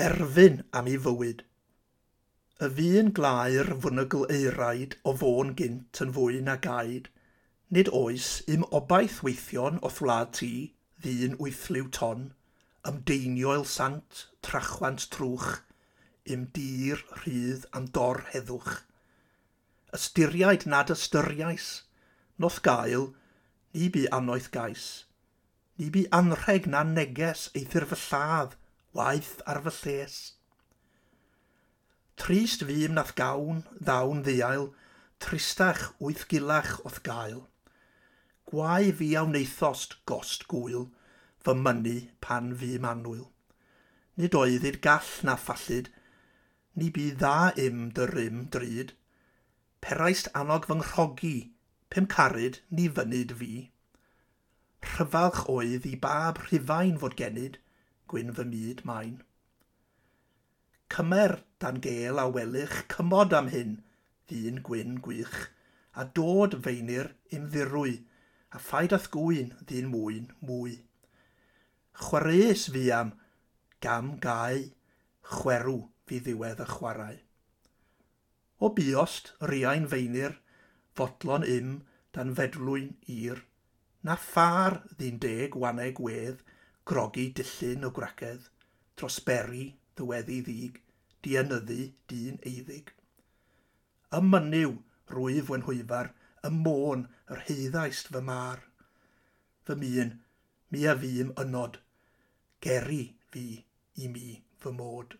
Erfyn am ei fywyd. Y fu'n glaer fwnygl euraid o fôn gynt yn fwy na gaid. Nid oes im obaith weithion o'th wlad ti, ddyn wythliw ton, ymdeinioel sant, trachwant trwch, im dir rhydd am dor heddwch. Ystyriaid nad ystyriais, noth gael, ni bu annoeth gais. Ni bu anrheg na neges eithr fy lladd, waeth ar fy lles. Trist fûm nath gawn, ddawn ddiail, tristach wyth gilach o'th gael. Gwae fi a wnaethost gost gwyl, fy mynnu pan fûm annwyl. Nid oeddid gall na phallid, ni bu dda im dy rym drud. Peraist annog fy nghrogi, pum caryd ni fynyd fi. Rhyfalch oedd i bab Rhufain fod genyd, gwyn fy myd main. Cymer dan gêl a welych cymod am hyn, ddyn gwyn gwych, a dod feinir im ddirwy, a phaid â'th gwyn ddyn mwyn mwy. Chwareus fi am gam gau, chwerw fi ddiwedd y chwarae. O buost, riain feinir, fodlon im dan fedlwyn ir, na phar ddyn deg waneg wedd, grogi dillyn o gwragedd, dros beri ddyweddi ddig, dienyddu dyn eiddig. Ym mynyw, rwyf wenhwyfar, ym môn yr heiddaist fy mar. Fy myn, mi a fûm ynod, geri fi i mi fy mod.